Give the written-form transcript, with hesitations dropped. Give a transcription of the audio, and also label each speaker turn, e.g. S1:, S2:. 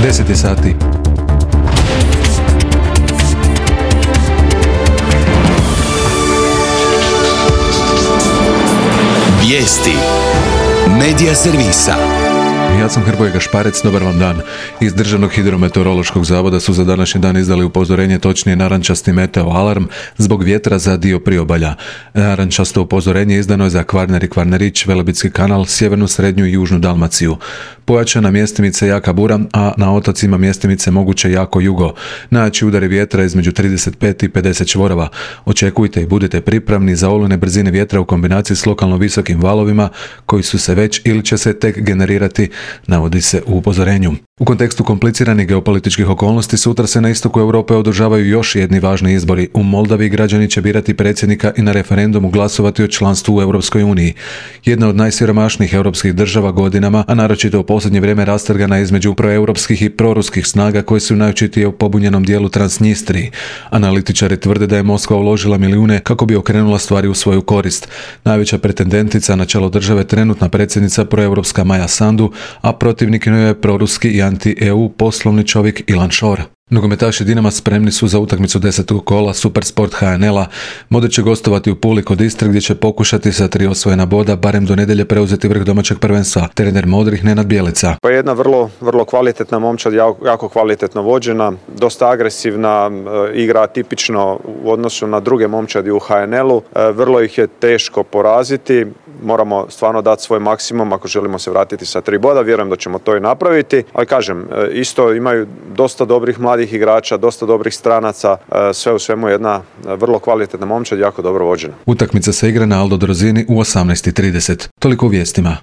S1: 10 sati.
S2: Vijesti Medija servisa.
S1: Ja sam Hrvoje Gašparec, dobar vam dan. Iz Državnog hidrometeorološkog zavoda su za današnji dan izdali upozorenje, točnije narančasti meteo alarm zbog vjetra za dio priobalja. Narančasto upozorenje izdano je za Kvarner i Kvarnerić, Velebitski kanal, sjevernu, srednju i južnu Dalmaciju. Pojačana mjestimice jaka bura, a na otocima mjestimice moguće jako jugo. Najjači udari vjetra između 35 i 50 čvorova. Očekujte i budite pripravni za olujne brzine vjetra u kombinaciji s lokalno visokim valovima koji su se već ili će se tek generirati, navodi se u upozorenju. U kontekstu kompliciranih geopolitičkih okolnosti sutra se na istoku Europe održavaju još jedni važni izbori. U Moldavi građani će birati predsjednika i na referendumu glasovati o članstvu u Europskoj uniji. Jedna od najsiromašnijih europskih država godinama, a naročito u posljednje vrijeme rastrgana između proeuropskih i proruskih snaga koje su najočitije u pobunjenom dijelu Transnistriji. Analitičari tvrde da je Moskva uložila milijune kako bi okrenula stvari u svoju korist. Najveća pretendentica na čelo države trenutna predsjednica proeuropska Maja Sandu, a protivnik njoj je proruski i anti-EU poslovni čovjek Ilan Šor. Nogometaši Dinama spremni su za utakmicu 10. kola Supersport HNL-a. Modrić će gostovati u Puli kod Istre gdje će pokušati sa 3 osvojena boda barem do nedjelje preuzeti vrh domaćeg prvenstva. Trener Modrih Nenad Bjelica.
S3: Pa jedna vrlo kvalitetna momčad, jako kvalitetno vođena, dosta agresivna, igra atipično u odnosu na druge momčadi u HNL-u. Vrlo ih je teško poraziti. Moramo stvarno dati svoj maksimum ako želimo se vratiti sa 3 boda. Vjerujem da ćemo to i napraviti. Ali kažem, isto imaju dosta dobrih mladih igrača, dosta dobrih stranaca, sve u svemu jedna vrlo kvalitetna momčad, jako dobro vođena.
S1: Utakmica se igra na Aldo Drozini u 18:30. Toliko u vijestima.